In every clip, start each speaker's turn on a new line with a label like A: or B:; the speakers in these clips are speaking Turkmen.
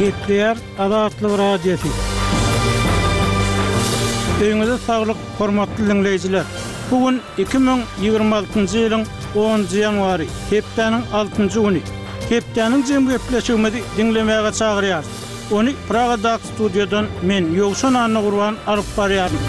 A: Gepleýär Azatlyk Radiosy. Öýüňize saglyk, hormatly diňleýjiler! Bu gün 2026-njy ýylyň onunjy ýanwary, hepdäniň altynjy güni. Hepdäniň jem gepleşigimizi diňlemäge çagyrýarys. Ony Pragadaky studiýadan men, Ýowşan Annagurban alyp barýaryn.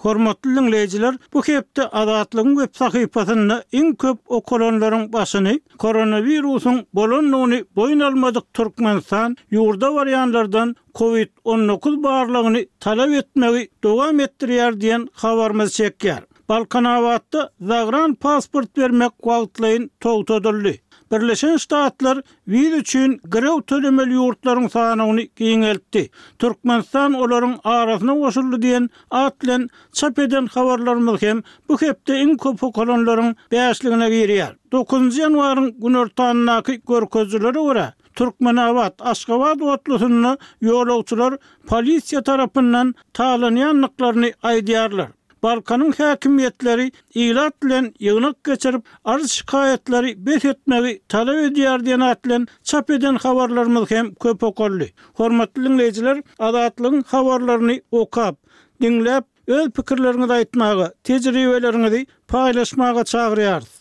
A: Hormatly diňleýjiler, bu hepde Azatlygyň web sahypasynda iň köp okalanlaryň başyny koronawirusyň bolandygyny boýun almadyk Türkmenistan ýurda barýanlardan Covid 19 barlagyny talap etmegi dowam etdirýär diýen habarymyz çekýär. Balkanabatda zagran pasport bermek wagtlaýyn togtadyldy. Birleşen Ştatlar wiza üçin girew tölemeli ýurtlaryň sanawyny giňeltdi. Türkmenistan olaryň arasyna goşuldy diýen at bilen çap eden habarlarymyz hem bu hepde iň köp okalanlaryň bäşligine girýär. Dokuzynjy ýanwaryň günortanyndaky görkezijilere görä, Türkmenabat, Aşgabat otlusynda ýolagçylar polisiýa tarapyndan talanýandyklaryny aýdýarlar. Balkanyň häkimiýetleri ilat bilen ýygnak geçirip, arz-şikaýatlary bes etmegi talap edýär diýen at bilen çap eden habarlarymyz hem köp okaldy. Hormatly diňleýjiler, Azatlygyň habarlaryny okap, diňläp, öz pikirleriňizi aýtmaga, tejribeleriňizi paýlaşmaga çagyrýarys.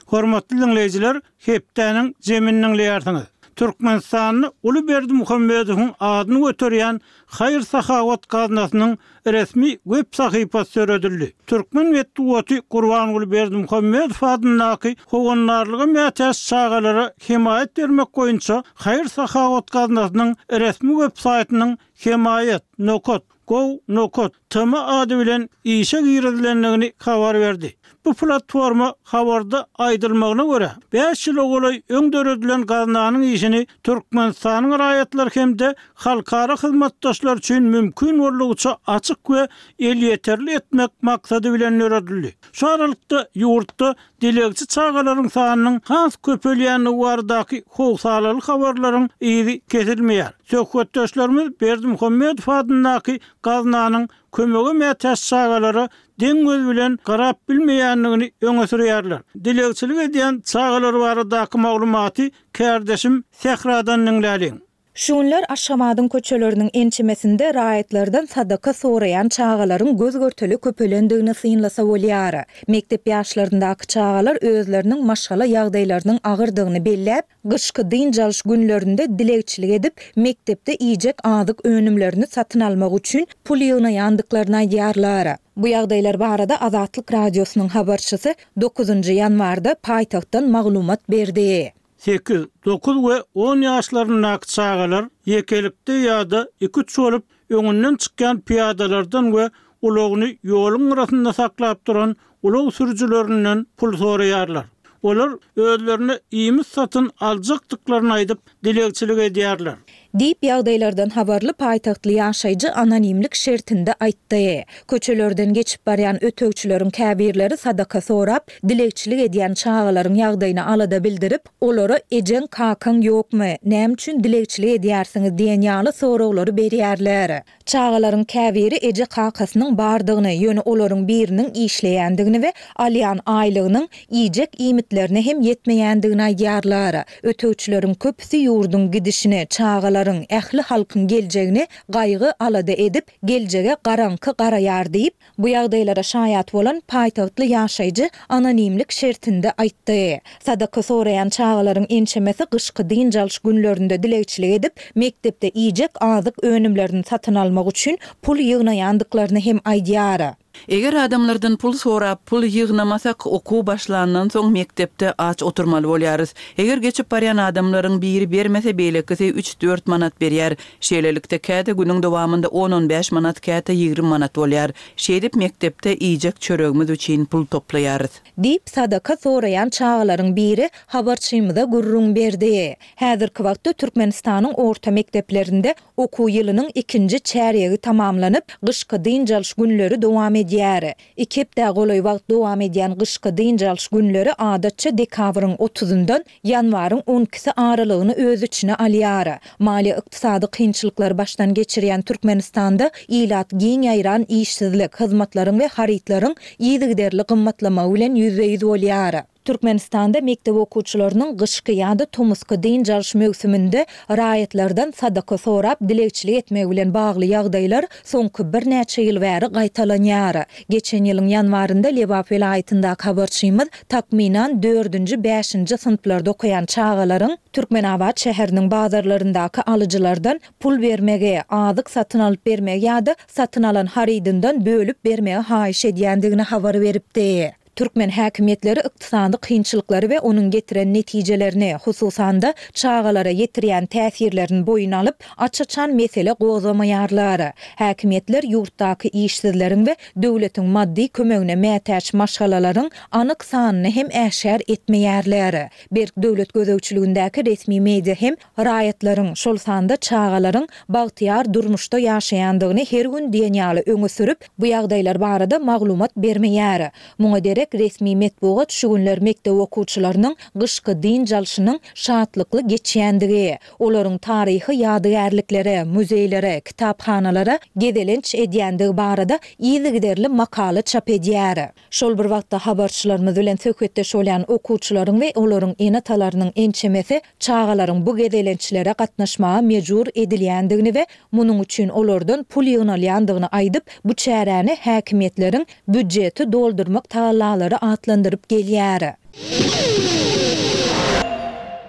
A: Hormatly diňleýjiler, hepdäniň jemini diňleýärsiňiz. Türkmenistanda uly Berdimuhamedowyň adyny göterýän Haýyr-sahawat gaznasynyň resmi web sahypasy döredildi. Türkmen metbugaty Gurbanguly Berdimuhamedow adyndaky Howandarlyga mätäç çagalara hemaýat bermek boýunça haýyr-sahawat gaznasynyň resmi web saýtynyň hemaýat. Nokat. Gov. Nokat. Tm ady bilen işe girizilendigini habar berdi. Bu platforma habarda aýdylmagyna görä, bäş ýyla golaý öň döredilen gaznanyň işini Türkmenistanyň raýatlary hem-de halkara hyzmatdaşlar üçin mümkin boldugyça açyk we elýeterli etmek maksady bilen döredildi. Şu aralykda, ýurtda dilegçi çagalaryň sanynyň has köpelýändigi baradaky howsalaly habarlaryň yzy kesilmeýär. Söhbetdeşlerimiz Berdimuhamedow adyndaky gaznanyň kömege mätäç çagalara deň göz bilen garap bilmeýändigini öňe sürýärler. Dilegçilik edýän çagalar baradaky maglumaty kärdeşim Sähradan diňläliň.
B: Şu günler Aşgabadyň köçeleriniň ençemesinde raýatlardan sadaka soraýan çagalaryň göz-görtele köpelendigini synlasa bolýar. Mekdep ýaşlaryndaky çagalar özleriniň maşgala ýagdaýlarynyň agyrdygyny belläp, Gyşky dynç alyş günlerinde dilegçilik edip, mekdepde iýjek azyk önümlerini satyn almak üçin pul ýygnaýandyklaryny aýdýarlar. Bu ýagdaýlar barada Azatlyk Radiosynyň habarçysy dokuzynjy ýanwarda paýtagtdan maglumat berdi.
A: Sekiz, dokuz we on ýaşlaryndaky çagalar ýekelikde ýa-da iki-üç bolup öňünden çykýan pyýadalardan we ulagyny ýoluň gyrasynda saklap duran ulag sürüjilerinden pul soraýarlar. Olar özlerine iýmit satyn aljakdyklaryny aýdyp, dilegçilik edýärler.
B: Diýip, ýagdaýlardan habarly paýtagtly ýaşaýjy anonimlik şertinde aýtdy. Köçelerden geçip barýan ötegçileriň käbirleri sadaka sorap, dilegçilik edýän çagalaryň ýagdaýyna alada bildirip, Olara ejeň, kakaň ýokmy, näme üçin dilegçilik edýärsiňiz diýen ýaly soraglary berýärler. Çagalaryň käbiri eje-kakasynyň bardygyny, ýöne olaryň biriniň işleýändigini we alýan aýlygynyň iýjek iýmitlerine hem ýetmeýändigini aýdýarlar. Ötegçileriň köpüsi ýurduň gidişini, çagalaryň, ähli halkyň geljegini gaýgy-alada edip, geljege garaňky garaýar diýip, Bu ýagdaýlara şaýat bolan paýtagtly ýaşaýjy anonimlik şertinde aýtdy. Sadaka soraýan çagalaryň ençemesi gyşky dynç alyş günlerinde dilegçilik edip, mekdepde iýjek azyk önümlerini satyn almak üçin pul ýygnaýandyklaryny hem aýdýar.
C: Eger adamlardan pul sorap, pul ýygnamasak, okuw başlandan soň mekdepde aç oturmaly bolýarys. Eger geçip barýan adamlaryň biri bermese, beýlekisi üç-dört manat berýär. Şeýlelikde, käte günüň dowamynda on-on bäş manat, käte 20 manat bolýar. Şeýdip, mekdepde iýjek çöregimiz üçin pul toplaýarys.
B: Diýip, sadaka soraýan çagalaryň biri habarçymyza gürrüň berdi. Häzirki wagtda Türkmenistanyň orta mekdeplerinde okuw ýylynyň ikinji çärýegi tamamlanyp, gyşky dynç alyş günleri dowam edýär. Iki hepdä golaý wagt dowam edýän gyşky dynç alyş günleri adatça dekabryň otuzyndan ýanwaryň on ikisi aralygyny öz içine alýar. Maliýe-ykdysady kynçylyklary başdan geçirýän Türkmenistanda ilat giň ýaýran işsizlik, hyzmatlaryň we harytlaryň yzygiderli gymmatlamagy bilen ýüzbe-ýüz bolýar. Türkmenistanda mekdep okuwçylarynyň gyşky ýa-da tomusky dynç alyş möwsüminde raýatlardan sadaka sorap dilegçilik etmegi bilen bagly ýagdaýlar soňky birnäçe ýyl bäri gaýtalanýar. Geçen ýylyň ýanwarynda Lebap welaýatyndaky habarçymyz takmynan dördünji, bäşinji synplarda okaýan çagalaryň Türkmenabat şäheriniň bazarlaryndaky alyjylardan pul bermegi, azyk satyn alyp bermegi ýa-da satyn alan harydyndan bölüp bermegi haýyş edýändigini habar beripdi. Türkmen häkimiýetleri ykdysady kynçylyklary we onuň getiren netijelerini, hususan-da, çagalara ýetirýän täsirlerini boýun alyp, aç-açan mesele gozgamaýarlar. Häkimiýetler ýurtdaky işsizleriň we döwletiň maddy kömegine mätäç maşgalalaryň anyk sanyny hem äşgär etmeýärler. Berk döwlet gözegçiligindäki resmi media hem Raýatlaryň, şol sanda çagalaryň bagtyýar durmuşda ýaşaýandygyny her gün diýen ýaly öňe sürüp, bu ýagdaýlar barada maglumat bermeýär. Muňa derek resmi metbugat şu günler mekdep okuwçylarynyň gyşky dynç alşynyň şatlykly geçýändigi, olaryň taryhy ýadygärliklere, muzeýlere, kitaphanalara gezelenç edýändigi barada yzygiderli makala çap edýär. Şol bir wagtda habarçylarymyz bilen söhbetdeş bolýan okuwçylaryň we olaryň ene-atalarynyň ençemesi çagalaryň bu gezelençlere gatnaşmaga mejbur edilýändigini we munuň üçin olardan pul ýygnalýandygyny aýdyp, bu çäräni häkimiýetleriň býudjeti doldurmak tagallalary atlandyryp gelýär.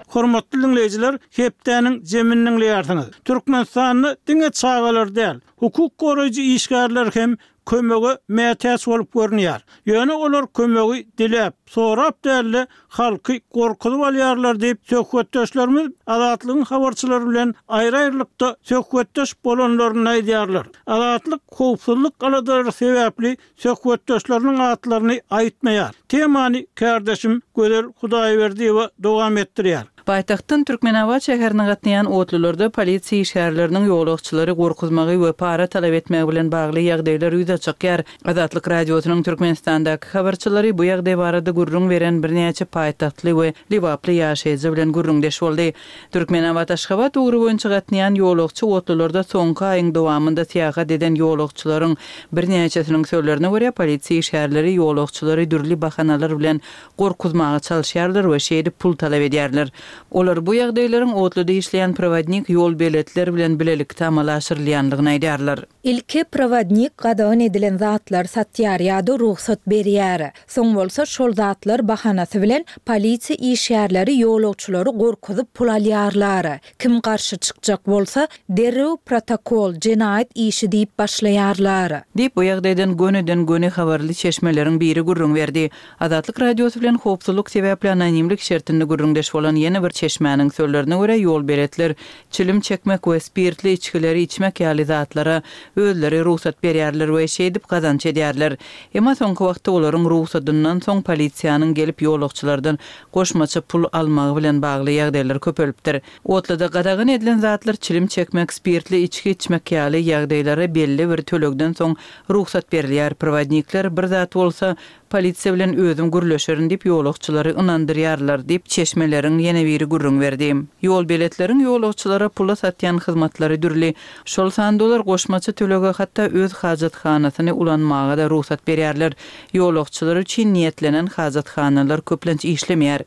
A: Hormatly diňleýjiler, hepdäniň jemini diňleýärsiňiz. Türkmenistanda diňe çagalar däl, hukuk goraýjy işgärler hem kömege mätäç bolup görünýär. Ýöne olar kömegi diläp, sorap däl-de, halky gorkuzyp alýarlar diýip, söhbetdeşlerimiz Azatlygyň habarçylary bilen aýry-aýrylykda söhbetdeş bolanlarynda aýdýarlar. Azatlyk howpsuzlyk aladalary sebäpli söhbetdeşleriniň atlaryny aýtmaýar. Temany kärdeşim Gözel Hudaýberdiýewa dowam etdirýär.
C: Paýtagtdan Türkmenabat şäherine gatnaýan otlularda polisiýa işgärleriniň ýolagçylary gorkuzmagy we para talap etmegi bilen bagly ýagdaýlar ýüze çykýar. Azatlyk Radiosynyň Türkmenistandaky habarçylary bu ýagdaý barada gürrüň beren birnäçe paýtagtly we lebaply ýaşaýjy bilen gürrüňdeş boldy. Türkmenabat-Aşgabat ugry boýunça gatnaýan ýolagçy otlularda soňky aýyň dowamynda syýahat eden ýolagçylaryň birnäçesiniň sözlerine görä, polisiýa işgärleri ýolagçylary dürli bahanalar bilen gorkuzmaga çalyşýarlar we şeýdip pul talap edýärler. Olar bu ýagdaýlaryň otluda işleýän prowodnik ýolbeletler bilen bilelikde amala aşyrylýandygyny aýdýarlar.
B: Ilki prowodnik gadagan edilen zatlary satýar ýa-da rugsat berýär. Soň bolsa şol zatlar bahanasy bilen polisiýa işgärleri ýolagçylary gorkuzyp pul alýarlar. Kim garşy çykjak bolsa, derrew protokol, jenaýat işi diýip başlaýarlar.
C: Diýip, bu ýagdaýdan gönüden-göni habarly çeşmeleriň biri gürrüň berdi. Azatlyk Radiosy bilen howpsuzlyk sebäpli anonimlik şertinde gürrüňdeş bolan ýene bir çeşmäniň sözlerine görä, ýolbeletler çilim çekmek we spirtli içgileri içmek ýaly zatlara özleri rugsat berýärler we şeýdip gazanç edýärler. Emma soňky wagtda olaryň rugsadyndan soň polisiýanyň gelip ýolagçylardan goşmaça pul almagy bilen bagly ýagdaýlar köpelipdir. Otluda gadagan edilen zatlar çilim çekmek, spirtli içgi içmek ýaly ýagdaýlara belli bir tölegden soň rugsat berilýär. Prowodnikler bir zat bolsa, polisiýa bilen özüm gürleşerin diýip ýolagçylary ynandyrýarlar diýip, çeşmeleriň ýene biri gürrüň berdi. Ýolbeletleriň ýolagçylara pula satýan hyzmatlary dürli. Şol sanda olar goşmaça tölege hatda öz hajathanasyny ulanmaga-da rugsat berýärler. Ýolagçylar üçin niýetlenen hajathanalar köplenç işlemeýär.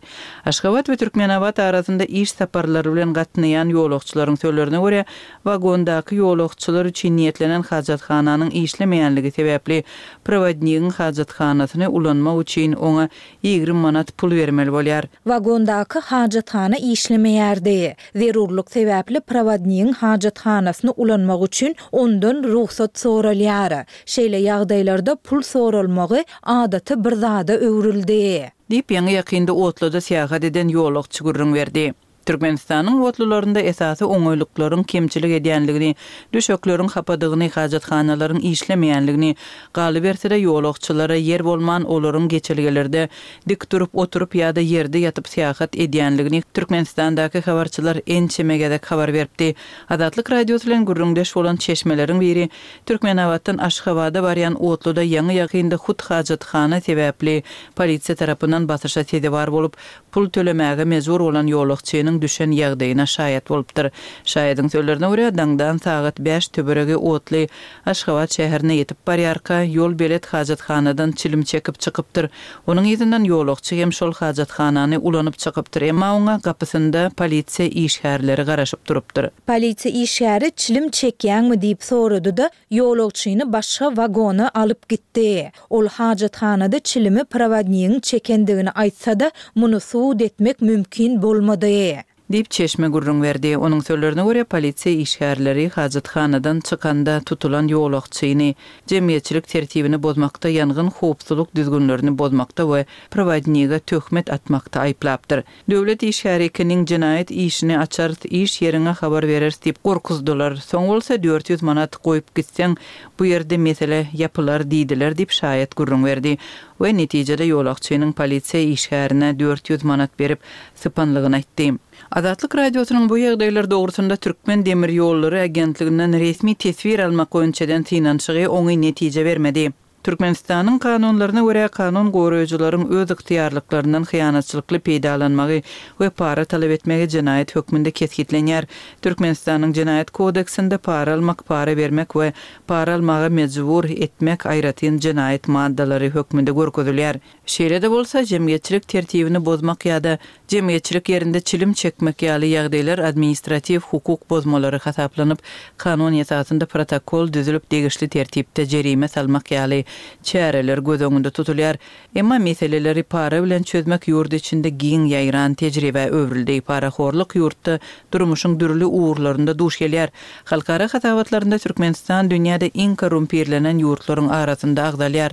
C: Aşgabat we Türkmenabat arasynda iş saparlary bilen gatnaýan ýolagçylaryň sözlerine görä, wagondaky ýolagçylar üçin niýetlenen hajathananyň işlemeýänligi sebäpli, prowodnigiň hajathanasyny ulanmak üçin oňa 20 manat pul bermeli bolýar.
B: Wagondaky hajathana işlemeýärdi. Zerurlyk sebäpli prowodnigiň hajathanasyny ulanmak üçin ondan rugsat soralýar. Şeýle ýagdaýlarda pul soralmagy adaty bir zada öwrüldi.
C: Diýip, ýaňy-ýakynda otluda syýahat eden ýolagçy gürrüň berdi. Türkmenistanyň otlularynda esasy oňaýlyklaryň kemçilik edýänligini, düşekleriň hapadygyny, hajathanalaryň işlemeýänligini, galyberse-de, ýolagçylara ýer bolman, olaryň geçelgelerde dik durup, oturyp ýa-da ýerde ýatyp syýahat edýänligini Türkmenistandaky habarçylar ençeme gezek habar beripdi. Azatlyk Radiosy bilen gürrüňdeş bolan çeşmeleriň biri Türkmenabatdan Aşgabada barýan otluda ýaňy-ýakynda hut hajathana sebäpli polisiýa tarapyndan basyşa sezewar bolup, pul tölemäge mejbur bolan ýolagçynyň. özüniň düşen ýagdaýyna şaýat bolupdyr. Şaýadyň sözlerine görä, daňdan sagat bäş töweregi otly Aşgabat şäherine ýetip barýarka, ýolbelet hajathanadan çilim çekip çykypdyr. Onuň yzyndan ýolagçy hem şol hajathanany ulanyp çykypdyr, emma oňa gapysynda polisiýa işgärleri garaşyp durupdyr.
B: Polisiýa işgäri çilim çekýäňmi diýip sorady-da, ýolagçyny başga wagona alyp gitdi. Ol hajathanada çilimi prowodnigiň çekendigini aýtsa-da, muny subut etmek mümkin bolmady.
C: Diýip, çeşme gürrüň berdi. Onuň sözlerine görä, polisiýa işgärleri hajathanadan çykanda tutulan ýolagçyny jemgyýetçilik tertibini bozmakda, ýangyn howpsuzlyk düzgünlerini bozmakda we prowodnige töhmet atmakda aýyplapdyr. Döwlet işgäri ekeniň, jenaýat işini açarys, iş ýeriňe habar bereris diýip gorkuzdylar. Soň bolsa 400 manat goýup gitseň, bu ýerde mesele ýapylar diýdiler diýip, şaýat gürrüň berdi we netijede ýolagçynyň polisiýa işgärine 400 manat berip, sypanlygyny aýtdy. Azatlyk Radiosynyň bu ýagdaýlar dogrusynda Türkmen demir ýollary agentliginden resmi teswir almak boýunça eden synanyşygy oňyn netije bermedi. Türkmenistanyň kanunlaryna görä, kanun goraýjylaryň öz ygtyýarlyklaryndan hyýanatçylykly peýdalanmagy we para talap etmegi jenaýat hökmünde kesgitlenýär. Türkmenistanyň Jenaýat kodeksinde para almak, para bermek we para almaga mejbur etmek aýratyn jenaýat maddalary hökmünde görkezilýär. Şeýle-de bolsa, jemgyýetçilik tertibini bozmak ýa-da jemgyýetçilik ýerinde çilim çekmek ýaly ýagdaýlar administratiw hukuk bozmalary hasaplanyp, kanun esasynda protokol düzülip degişli tertipde jerime salmak ýaly çäreler göz öňünde tutulýar. Emma meseleleri para bilen çözmek ýurt içinde giň ýaýran tejribä öwrüldi. Parahorluk ýurtda durmuşyň dürli ugurlarynda duş gelýär. Halkara hasabatlarynda Türkmenistan dünýäde iň korrumpirlenen ýurtlaryň arasynda agzalýar.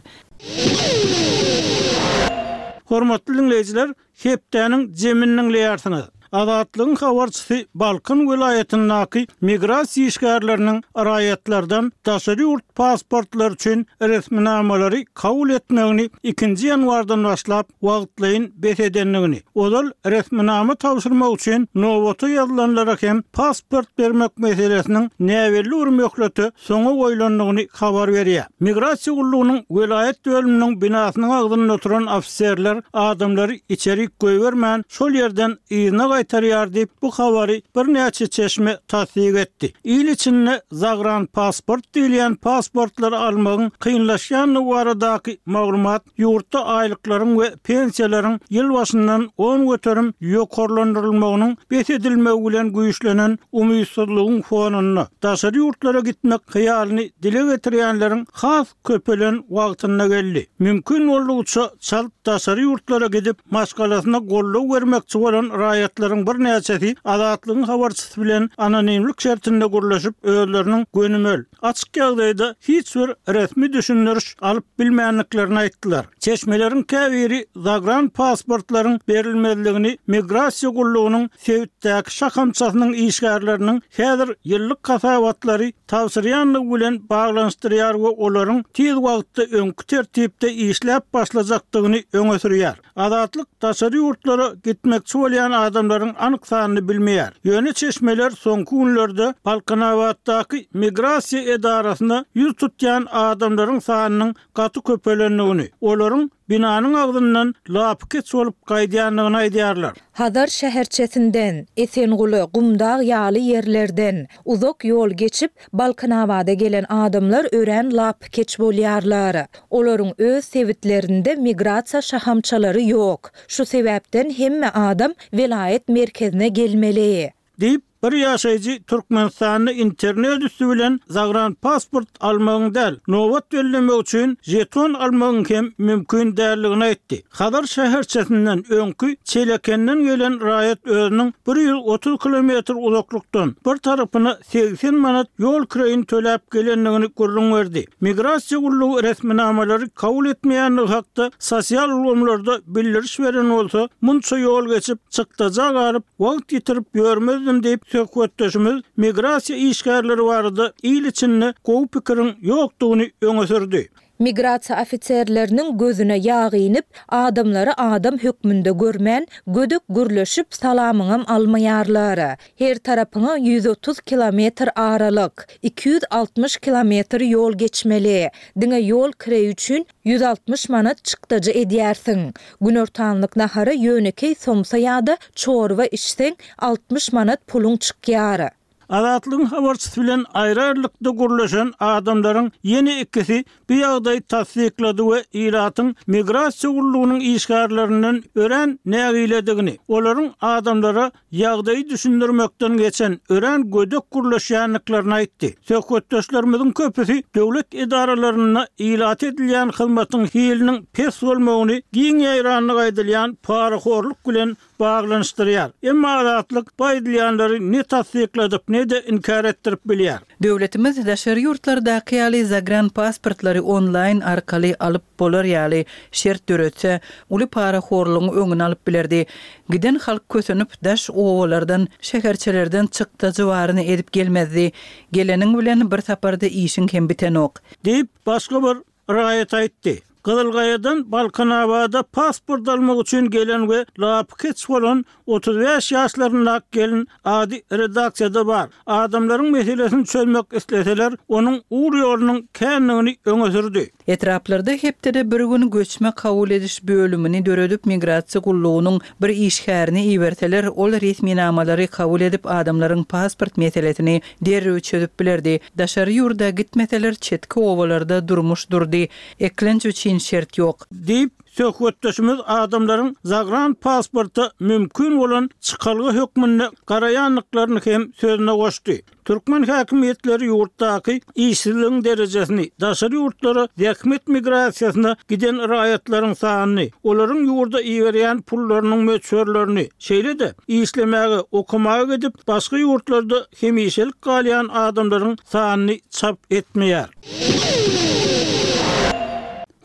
A: Hormatly diňleýjiler, hepdäniň jemini diňleýärsiňiz. Azatlygyň habarçysy Balkan welaýatyndaky migrasiýa işgärleriniň raýatlardan daşary ýurt pasportlary üçin resminamalary kabul etmegini ikinji ýanwardan başlap wagtlaýyn bes edendigini, ozal resminama tabşyrmak üçin nobata ýazylanlara hem pasport bermek meselesiniň näbelli bir möhlete soňa goýlandygyny habar berýär. Migrasiýa gullugynyň welaýat bölüminiň binasynyň agzynda oturan ofiserler adamlary içerik goýbermän, şol ýerden yzyna gaýtarýar diýip, bu habary birnäçe çeşme tassyk etdi. Il içinde zagranpasport diýilýän pasportlary almagyň kynlaşýandygy baradaky maglumat ýurtda aýlyklaryň we pensiýalaryň ýyl başyndan 10% ýokarlandyrylmagynyň bes edilmegi bilen güýçlenen umytsyzlygyň fonunda, daşary ýurtlara gitmek hyýalyny dile getirýänleriň has köpelen wagtynda geldi. Mümkin boldugyça çalt daşary ýurtlara gidip, maşgalasyna goldaw bermekçi bolan raýatlaryň birnäçesi Azatlygyň habarçysy bilen anonimlik şertinde gürleşip, özleriniň gönümel, açyk ýagdaýda hiç bir resmi düşündiriş alyp bilmändiklerini aýtdylar. Çeşmeleriň käbiri zagran pasportlaryň berilmezligini migrasiýa gullugynyň sebitdäki şahamçasynyň işgärleriniň häzir ýyllyk hasabatlary tabşyrýandygy bilen baglanyşdyrýar we olaryň tiz wagtda öňki tertipde işläp başlajakdygyny öňe sürýär. Azatlyk daşary ýurtlara gitmekçi bolýan adamlaryň anyk sanyny bilmeýär. Ýöne çeşmeler soňky günlerde Balkanabatdaky migrasiýa edarasyna ýüz tutýan adamlaryň sanynyň gaty köpelendigini, olaryň binanyň agzyndan lapykeç bolup gaýdýandygyny aýdýarlar.
B: Hazar şäherçesinden, Esenguly, Gumdag ýaly ýerlerden, uzak ýol geçip, Balkanabada gelen adamlar örän lapykeç bolýarlar. Olaryň öz sebitlerinde migrasiýa şahamçalary ýok. Şu sebäpden hemme adam welaýat merkezine gelmeli.
A: Diýip, bir ýaşaýjy Türkmenistanda internet üsti bilen zagranpasport almagyň däl, nobat bellemek üçin žeton almagyň hem mümkin däldigini aýtdy. Hazar şäherçesinden öňki Çelekenden gelen raýat özüniň 130 kilometr uzaklykdan, bir tarapyna 80 manat ýol kireýini töläp gelendigini gürrüň berdi. Migrasiýa gullugy resminamalary kabul etmeýändigi hakda sosial ulgamlarda bildiriş beren bolsa, munça ýol geçip, çykdaja galyp, wagt ýitirip ýörmezdim diýip, söhbetdeşimiz migrasiýa işgärleri barada il içinde gowy pikiriň ýokdugyny öňe sürdi.
B: Migrasiýa ofiserleriniň gözüne ýag inip, adamlary adam hökmünde görmän, gödek gürleşip, salamyňam almaýarlar. Her tarapyňa 130 kilometr aralyk, 260 kilometr ýol geçmeli. Diňe ýol kireýi üçin 160 manat çykdajy edýärsiň. Günortanlyk nahara ýönekeý somsa ýa-da çorba içseň, 60 manat puluň çykýar.
A: Azatlygyň habarçysy bilen aýry-aýrylykda gürleşen adamlaryň ýene ikisi bu ýagdaýy tassyklady we ilatyň migrasiýa gullugynyň işgärlerinden örän nägiledigini, olaryň adamlara ýagdaýy düşündirmekden geçen örän gödek gürleşýändiklerini aýtdy. Söhbetdeşlerimiziň köpüsi döwlet edaralarynda ilata edilýän hyzmatyň hiliniň pes bolmagyny giň ýaýrandygy aýdylýan parahorluk bilen baglanyşdyrýar. Emma Azatlyk bu aýdylýanlary ne tassykladyp, ne-de inkär etdirip bilýär.
C: Döwletimiz daşary ýurtlardaky ýaly zagranpasportlary onlaýn arkaly alyp bolar ýaly şert döretse, uly parahorlugyň öňüni alyp bilerdi. Giden halk kösenip, daş obalardan, şäherçelerden çykdajy baryny edip gelmezdi. Geleniň bilen bir saparda işiň hem bitenok.
A: Diýip, başga bir Raýat aýtdy. Gyzylgaýadan Balkanabada pasport almak üçin gelen we lapykeç bolan 35 ýaşlaryndaky gelin ady redaksiýada bar. Adamlaryň meselesini çözmek isleseler, onuň ugur-ýolunyň kändigini öňe sürdi.
C: Etraplarda hepdede bir gün göçme kabul ediş bölümini döredip migrasiýa gullugynyň bir işgärini iberseler, ol resminamalary kabul edip adamlaryň pasport meselesini derrew çözüp bilerdi. Daşary ýurda gitmeseler çetki obalarda durmuş durdy. Eklenç üçin şert ýok.
A: Diýip, söhbetdeşimiz adamlaryň zagran pasporta mümkin bolan çykalga hökmünde garaýandyklaryny hem sözüne goşdy. Türkmen häkimiýetleri ýurtdaky işsizligiň derejesini, daşary ýurtlara zähmet migrasiýasyna giden raýatlaryň sanyny, olaryň ýurda iberýän pullarynyň möçberlerini, şeýle-de işlemäge, okamaga gidip, başga ýurtlarda hemişelik galýan adamlaryň sanyny çap etmeýär.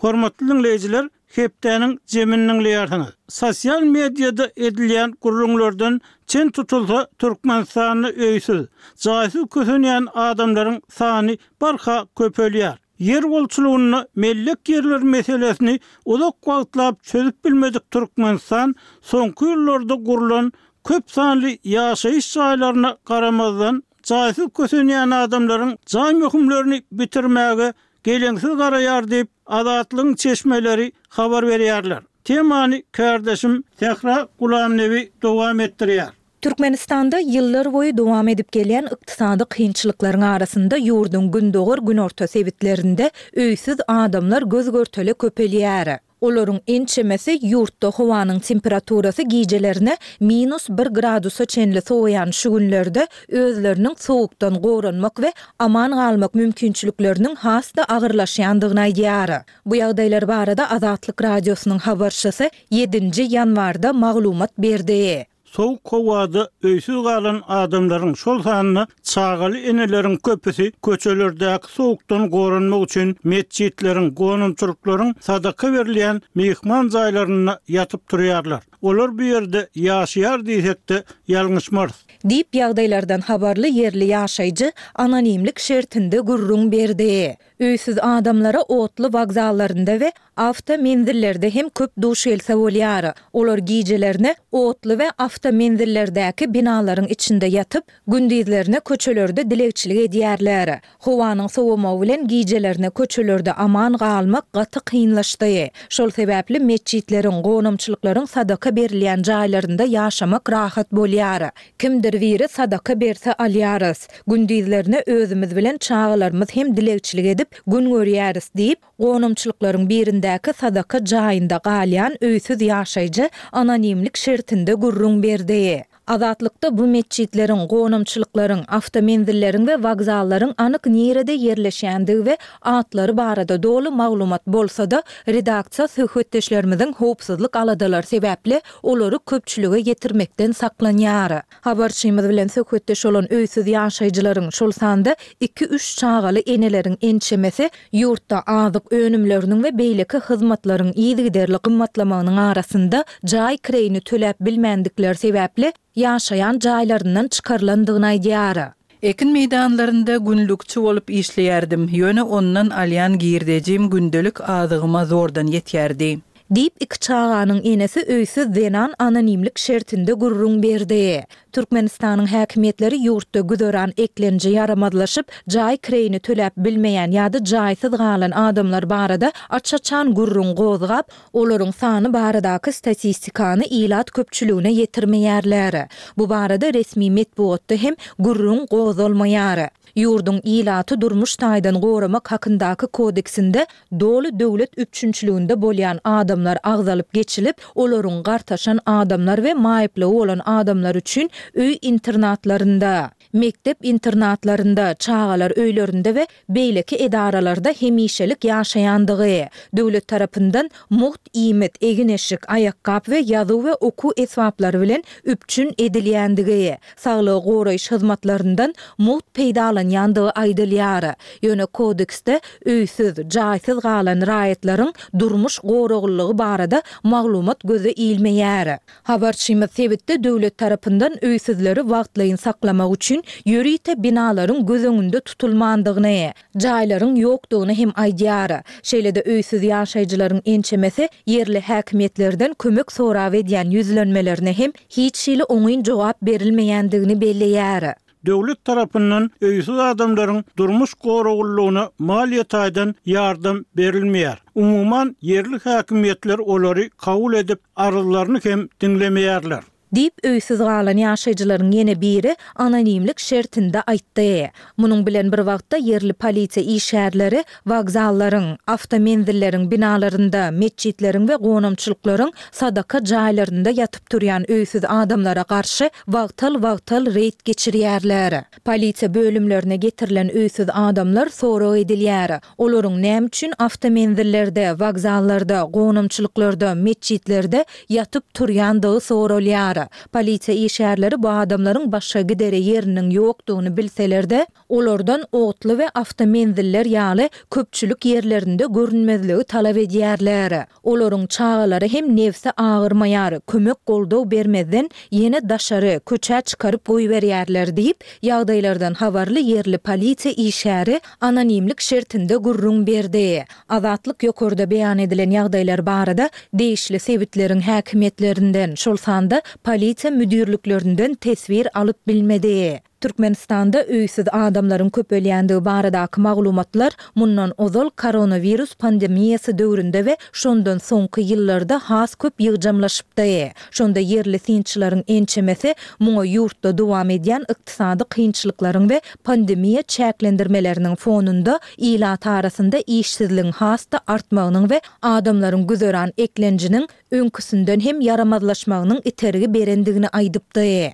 A: Hormatly diňleýjiler, hepdäniň jemini diňleýärsiňiz. Sosial mediada edilýän gürrüňlerden çen tutulsa, Türkmenistanda öýsüz, jaýsyz kösenýän adamlaryň sany barha köpelýär. Ýer bolçulygynda mellek ýerler meselesini uzak wagtlap çözüp bilmedik Türkmenistan soňky ýyllarda gurlan köp sanly ýaşaýyş jaýlaryna garamazdan, jaýsyz kösenýän adamlaryň jaý möhümlerini bitirmäge geleňsiz garaýar diýip, Azatlygyň çeşmeleri habar berýärler. Temany kärdeşim Sähra Gulamnebi dowam etdirýär.
B: Türkmenistanda ýyllar boýy dowam edip gelýän ykdysady kynçylyklaryň arasynda ýurduň gündogar-günorta sebitlerinde öýsüz adamlar göz-görtele köpelýär. Olaryň ençemesi ýurtda howanyň temperaturasy gijelerine minus bir gradusa çenli sowaýan şu günlerde özleriniň sowukdan goranmak we aman galmak mümkinçilikleriniň has-da agyrlaşýandygyny aýdýar. Bu ýagdaýlar barada Azatlyk Radiosynyň habarçysy ýedinji ýanwarda maglumat berdi.
A: Sowuk howada öýsüz galan adamlaryň, şol sanda çagaly eneleriň köpüsi köçelerdäki sowukdan goranmak üçin metjitleriň, gonamçylyklaryň sadaka berilýän myhman jaýlarynda ýatyp turýarlar. Olar bu ýerde ýaşaýar diýsek-de ýalňyşmarys.
B: Diýip, ýagdaýlardan habarly ýerli ýaşaýjy anonimlik şertinde gürrüň berdi. Öýsüz adamlara otly wokzallarynda we awtomenzillerde hem köp duş gelse bolýar. Olar gijelerine otly we awtomenzillerdäki binalaryň içinde ýatyp, gündizlerine köçelerde dilegçilik edýärler. Howanyň sowamagy bilen gijelerine köçelerde aman galmak gaty kynlaşdy. Şol sebäpli metjitleriň, gonamçylyklaryň sadaka berilýän jaýlarynda ýaşamak rahat bolýar. Kimdir biri sadaka berse alýarys. Gündizlerine özümiz bilen çagalarymyz hem dilegçilik edip gün görýäris diýip, gonamçylyklaryň birindäki sadaka jaýynda galýan öýsüz ýaşaýjy anonimlik şertinde gürrüň berdi. Azatlykda bu metjitleriň, gonamçylyklaryň, awtomenzilleriň we wokzallaryň anyk nirede ýerleşýändigi we atlary barada doly maglumat bolsa-da, redaksiýa söhbetdeşlerimiziň howpsuzlyk aladalary sebäpli olary köpçülige ýetirmekden saklanýar. Habarçymyz bilen söhbetdeş bolan öýsüz ýaşaýjylaryň, şol sanda iki-üç çagaly eneleriň ençemesi ýurtda azyk önümleriniň we beýleki hyzmatlaryň yzygiderli gymmatlamagynyň arasynda jaý kireýini töläp bilmändikleri sebäpli ýaşaýan jaýlaryndan çykarylandygyny aýdýar.
C: Ekin meýdanlarynda günlükçi bolup işleýärdim, ýöne ondan alýan girdejim gündelik azygyma zordan ýetýärdi.
B: Diýip, iki çaganyň enesi öýsüz zenan anonimlik şertinde gürrüň berdi. Türkmenistanyň häkimiýetleri ýurtda güzeran eklenji ýaramazlaşyp, jaý kireýini töläp bilmeýän ýa-da jaýsyz galan adamlar barada aç-açan gürrüň gozgap, olaryň sany baradaky statistikany ilat köpçüligine ýetirmeýärler. Bu barada resmi metbugatda hem gürrüň gozalmaýar. Ýurduň Ilaty durmuş taýdan goramak hakyndaky kodeksinde doly döwlet üpjünçiliginde bolýan adamlar agzalyp geçilip, olaryň gartaşan adamlar we maýyplygy bolan adamlar üçin öý internatlarynda, mekdep internatlarynda, çagalar öýlerinde we beýleki edaralarda hemişelik ýaşaýandygy, döwlet tarapyndan mugt iýmit, egin-eşik, aýakgap we ýazuw we okuw esbaplary bilen üpjün edilýändigi, saglygy goraýyş hyzmatlaryndan mugt peýdalanýandygy aýdylýar. Ýöne kodeksde öýsüz, jaýsyz galan raýatlaryň durmuş goraglylygy barada maglumat göze ilmeýär. Habarçymyz sebitde döwlet tarapyndan öýsüzleri wagtlaýyn saklamak üçin ýörite binalaryň göz öňünde tutulmandygyny, jaýlaryň ýokdugyny hem aýdýar. Şeýle-de öýsüz ýaşaýjylaryň ençemesi ýerli häkimiýetlerden kömek sorap edýän ýüzlenmelerine hem hiç hili oňyn jogap berilmeýändigini belleýär.
A: Döwlet tarapyndan öýsüz adamlaryň durmuş goraglylygyna maliýe taýdan ýardam berilmeýär. Umuman, ýerli häkimiýetler olary kabul edip, arzlaryny hem diňlemeýärler.
B: Diýip, öýsüz galan ýaşaýjylaryň ýene biri anonimlik şertinde aýtdy. Munuň bilen bir wagtda, ýerli polisiýa işgärleri wokzallaryň, awtomenzilleriň binalarynda, metjitleriň we gonamçylyklaryň sadaka jaýlarynda ýatyp-turýan öýsüz adamlara garşy wagtal-wagtal reýd geçirýärler. Polisiýa bölümlerine getirilen öýsüz adamlar sorag edilýär. Olaryň näme üçin awtomenzillerde, wokzallarda, gonamçylyklarda, metjitlerde ýatyp-turýandygy soralýar. Polisiýa işgärleri bu adamlaryň başga gidere ýeriniň ýokdugyny bilseler-de, olardan otly we awtomenziller ýaly köpçülik ýerlerinde görünmezligi talap edýärler. Olaryň çagalary hem nebsi agyrmaýar, kömek-goldaw bermezden ýene daşary, köçä çykaryp goýberýärler diýip, ýagdaýlardan habarly ýerli polisiýa işgäri anonimlik şertinde gürrüň berdi. Azatlyk ýokarda beýan edilen ýagdaýlar barada degişli sebitleriň häkimiýetlerinden, şol sanda polisiýa müdirliklerinden teswir alyp bilmedi. Türkmenistanda öýsüz adamlaryň köpelýändigi baradaky maglumatlar mundan ozal koronawirus pandemiýasy döwründe we şondan soňky ýyllarda has köp ýygjamlaşypdy. Şonda ýerli synçylaryň ençemesi muňa ýurtda dowam edýän ykdysady kynçylyklaryň we pandemiýa çäklendirmeleriniň fonunda ilat arasynda işsizligiň has-da artmagynyň we adamlaryň güzeran eklenjiniň öňküsinden hem ýaramazlaşmagynyň itergi berendigini aýdypdy.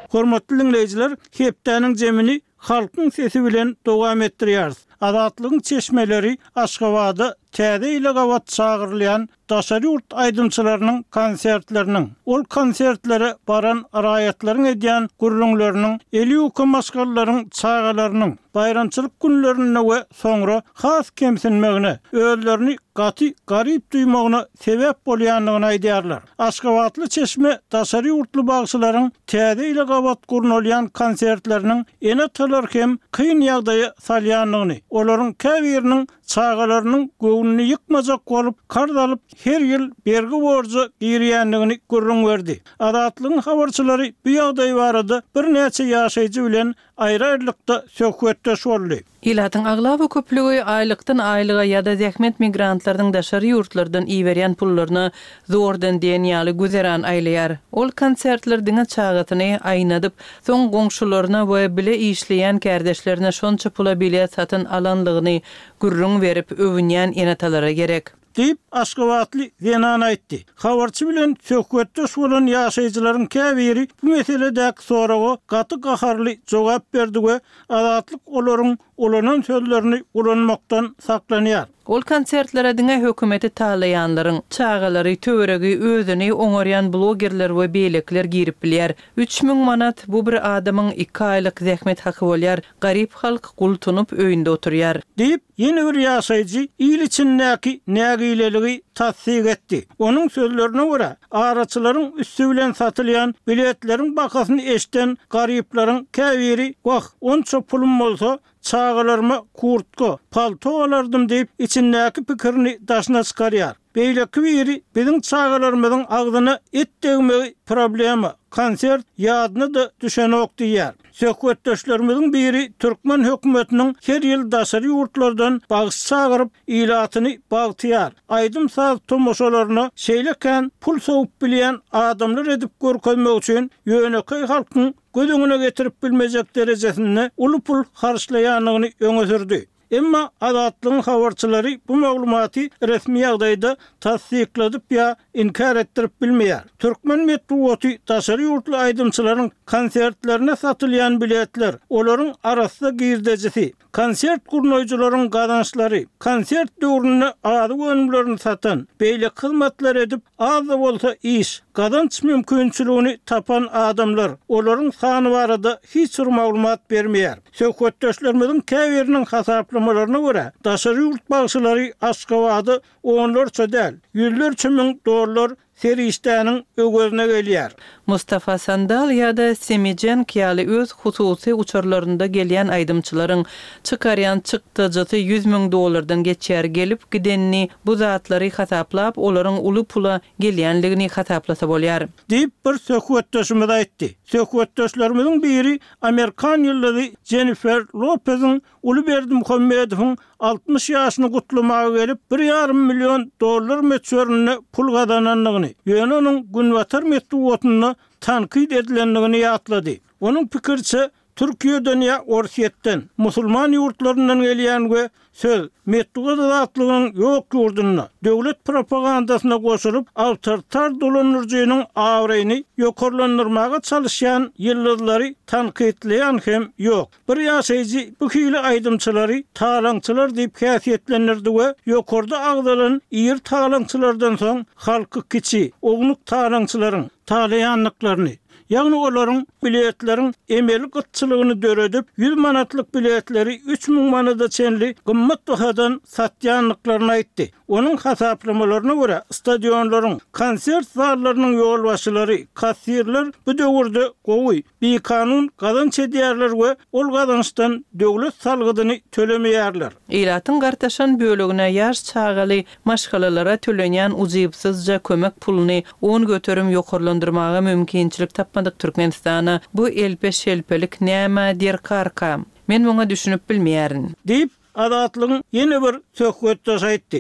A: Hormatly diňleýjiler, hepdäniň jemini Halkyň sesi bilen dowam etdirýäris. Azatlygyň çeşmeleri Aşgabada Täze ýyla gabat çagyrylýan daşary ýurt aýdymçylarynyň konsertleriniň, ol konsertlere baran raýatlaryň edýän gürrüňleriniň eli ýuka maşgalalaryň çagalarynyň baýramçylyk günlerinde we soňra has kemsinmegine, özlerini gaty garyp duýmagyna sebäp bolýandygyny aýdýarlar. Aşgabatly çeşme daşary ýurtly bagşylaryň Täze ýyla gabat gurnalýan konsertleriniň ene-atalary hem kyn ýagdaýa salýandygyny, olaryň käbiriniň çagalarynyň göwnüni ýykmajak bolup, karz alyp, her ýyl bergi-borja girýändigini gürrüň berdi. Azatlygyň habarçylary bu ýagdaý barada birnäçe ýaşaýjy bilen aýry-aýrylykda söhbetdeş boldy.
C: Ilatyň aglaba köplügi aýlykdan aýlyga ýa-da zähmet migrantlarynyň daşary ýurtlardan iberýän pullaryna zordan diýen ýaly güzeran aýlaýar. Ol konsertler diňe çagasyny aýnadyp, soň goňşularyna we bile işleýän kärdeşlerine şonça pula bilet satyn alanlygyny gürrüň berip öwünýän ene-atalara gerek.
A: Diýip, aşgabatly zenan aýtdy. Habarçy bilen söhbetdeş bolan ýaşaýjylaryň käbiri bu meseledäki soraga gaty gaharly jogap berdi we Azatlyk olaryň ulanan sözlerini ulanmakdan saklanýar.
C: Ol konsertlere diňe hökümeti talaýanlaryň çagalary, töweregi, özüni oňarýan blogerler we beýlekiler girip bilýär. 3000 manat, bu bir adamyň iki aýlyk zähmet haky bolýar. Garyp halk gultunyp öýünde oturýar.
A: Diýip, ýene bir ýaşaýjy il içindäki nägileligi tassyk etdi. Onuň sözlerine görä, araçylaryň üsti bilen satylýan biletleriň bahasyny eşiden garyplaryň käbiri Wah, onça pulum bolsa, çagalaryma kurtka, palto alardym diýip, içindäki pikirini daşyna çykarýar. Beýleki biri biziň çagalarymyzyň agzyna et degmegi problema, konsert ýadyna-da düşenok diýýär. Söhbetdeşlerimiziň biri türkmen hökümetiniň her ýyl daşary ýurtlardan bagşy çagyryp, ilatyny bagtyýar, aýdym-saz tomaşalaryna şeýle kän pul sowup bilýän adamlar edip görkezmek üçin ýönekeý halkyň göz öňüne getirip bilmejek derejesinde uly pul harçlaýandygyny öňe sürdi. Emma Azatlygyň habarçylary bu maglumaty resmi ýagdaýda tassykladyp ýa inkär etdirip bilmeýär. Türkmen metbugaty daşary ýurtly aýdymçylaryň konsertlerine satylýan biletler, olaryň arassa girdejisi, konsert gurnaýjylaryň gazançlary, konsert döwründe azyk önümlerini satan, beýleki hyzmatlary edip, Az-da bolsa iş, gazanç mümkinçiligini tapan adamlar, olaryň sany barada hiç bir maglumat bermeýär. Söhbetdeşlerimiziň käbiriniň hasaplamalaryna görä, daşary ýurt bagşylary Aşgabada onlarça däl, ýüzlerçe müň dollar serişdäniň öwezine gelýär.
C: Mustafa Sandal ýa-da Semi Cenk ýaly öz hususy uçarlarynda gelýän aýdymçylaryň çykarýan çykdajysy 100 müň dollardan geçýär, gelip gidenini bu zatlary hasaplap olaryň uly pula gelýänligini hasaplasa bolýar.
A: Diýip, bir söhbetdeşimiz aýtdy. Söhbetdeşlerimiziň biri amerikan ýyldyzy Jennifer Lopeziň uly Berdimuhamedowyň 60 ýaşyny gutlamaga gelip, bir ýarym million dollar möçberinde pul gazanandygyny, ýöne onuň günbatar metbugatynda tankyt edilendigini ýatlady. Onuň pikiriçe, Türkiýeden ýa Orsýetden, musulman ýurtlaryndan gelýän we söz, metbugat azatlygynyň ýok ýurdunda, döwlet propagandasyna goşulyp, awtoritar dolandyryjynyň abraýyny ýokarlandyrmaga çalyşýan ýyldyzlary tankytlaýan hem ýok. Bir ýaşaýjy bu hili aýdymçylary talaňçylar diýip häsiýetlendirdi we ýokarda agzalan iri talaňçylardan soň halky kiçi, ownuk talaňçylaryň talaýandyklaryny, ýagny olaryň biletleriň emeli gytçylygyny döredip, ýüz manatlyk biletleri 3000 manada çenli gymmat bahadan satýandyklaryny aýtdy. Onuň hasaplamalaryna görä, stadionlaryň, konsert zallarynyň ýolbaşçylary, kassirler bu döwürde gowy, bikanun gazanç edýärler we ol gazançdan döwlet salgydyny tölemeýärler.
C: Ilatyň gartaşan bölegine, ýaş çagaly maşgalalara tölenýän ujypsyzja kömek puluny 10% ýokarlandyrmaga mümkinçilik tapmadyk Türkmenistana bu elpe-şelpelik nämä derkarka? Men muňa düşünip bilmeýärin.
A: Diýip, Azatlygyň ýene bir söhbetdeşi aýtdy.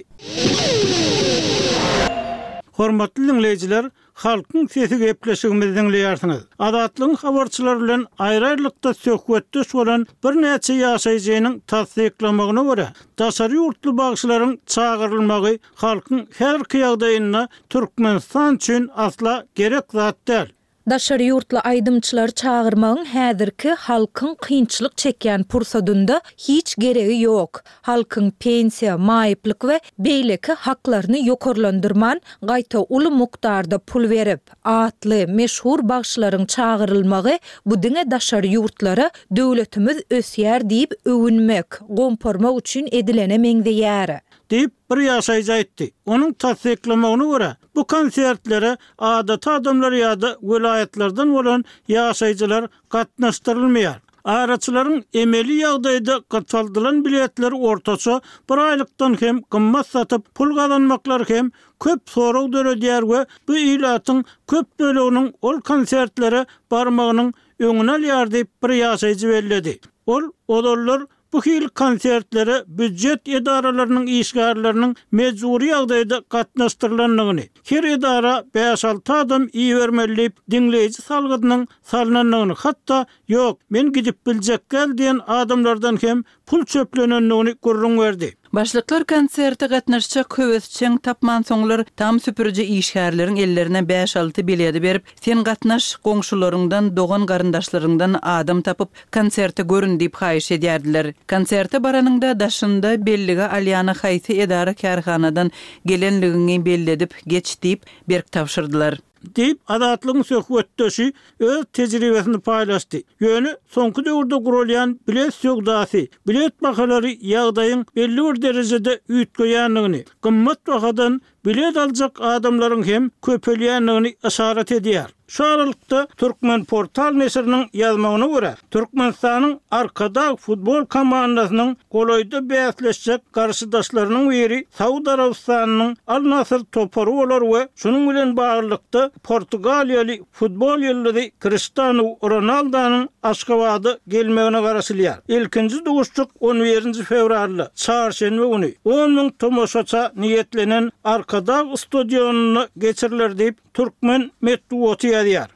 A: Hormatly diňleýjiler, Halkyň sesi gepleşigimizi diňleýärsiňiz. Azatlygyň habarçylary bilen aýry-aýrylykda söhbetdeş bolan birnäçe ýaşaýjynyň tassyklamagyna görä, daşary ýurtly bagşylaryň çagyrylmagy halkyň häzirki ýagdaýynda Türkmenistan üçin asla gerek zat däl.
B: Daşary ýurtly aýdymçylary çagyrmagyň häzirki halkyň kynçylyk çekýän pursadynda hiç geregi ýok. Halkyň pensiýa, maýyplyk we beýleki haklaryny ýokarlandyrman, gaýta uly mukdarda pul berip, atly, meşhur bagşylaryň çagyrylmagy bu diňe daşary ýurtlara döwletimiz ösýär diýip öwünmek, gomparmak üçin edilene meňzeýär.
A: Diýip, bir ýaşaýjy aýtdy. Onuň tassyklamagyna görä, Bu konsertlere adaty adamlar ýa-da welaýatlardan bolan ýaşaýjylar gatnaşdyrylmaýar. Araçylaryň emeli ýagdaýda gytaldylan biletleri ortaça bir aýlykdan hem gymmat satyp, pul gazanmaklary hem köp sorag döredýär we bu ilatyň köp böleginiň ol konsertlere barmagynyň öňüni alýar diýip, bir ýaşaýjy belledi. Ol ozallar Bu hili konsertlere býujet edaralarynyň işgärleriniň mejbury ýagdaýda gatnaşdyrylandygyny, her edara bäş-alty adam ibermeli diýip, diňleýji salgydynyň salnandygyny, hatda Ýok, men gidip biljek däl diýen adamlardan hem pul çöplenendigini gürrüň berdi.
C: Başlyklar konserte gatnaşjak höwesjeň tapmansoňlar, tam süpüriji işgärleriň ellerine bäş-alty biledi berip, Sen gatnaş, goňşularyňdan, dogan-garyndaşlaryňdan adam tapyp, konserte görün diýip haýyş edýärdiler. Konserte baranyňda daşynda bellige alýana haýsy edara-kärhanadan gelenligiňi belledip geç diýip, berk tabşyrdylar.
A: Diýip, Azatlygyň söhbetdeşi öz tejribesini paýlaşdy. Ýöne soňky döwürde guralýan bilet söwdasy, bilet bahalary ýagdaýyň belli bir derejede üýtgeýändigini, gymmat bahadan bilet aljak adamlaryň hem köpelýändigini yşarat edýär. Şu aralykda, Turkmenportal neşiriniň ýazmagyna görä, Türkmenistanyň Arkadag futbol komandasynyň golaýda bäsleşjek garşydaşlarynyň biri Saud Arabystanynyň Al-Nasr topary bolar we şunuň bilen baglylykda portugaliýaly futbol ýyldyzy Kriştanu Ronaldanyň Aşgabada gelmegine garaşylýar. Ilkinji duşuşyk on birinji fewralda, çarşenbe güni, on müň tomaşaça niýetlenen Arkadag stadionynda geçiriler diýip, Türkmen metbugaty ýazýar.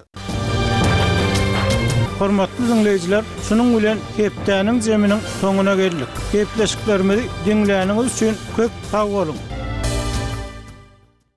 A: Hormatly diňleýjiler, şunuň bilen hepdäniň zeminiň soňuna geldik. Gepleşiklerimizi diňläniňiz üçin köp sag boluň!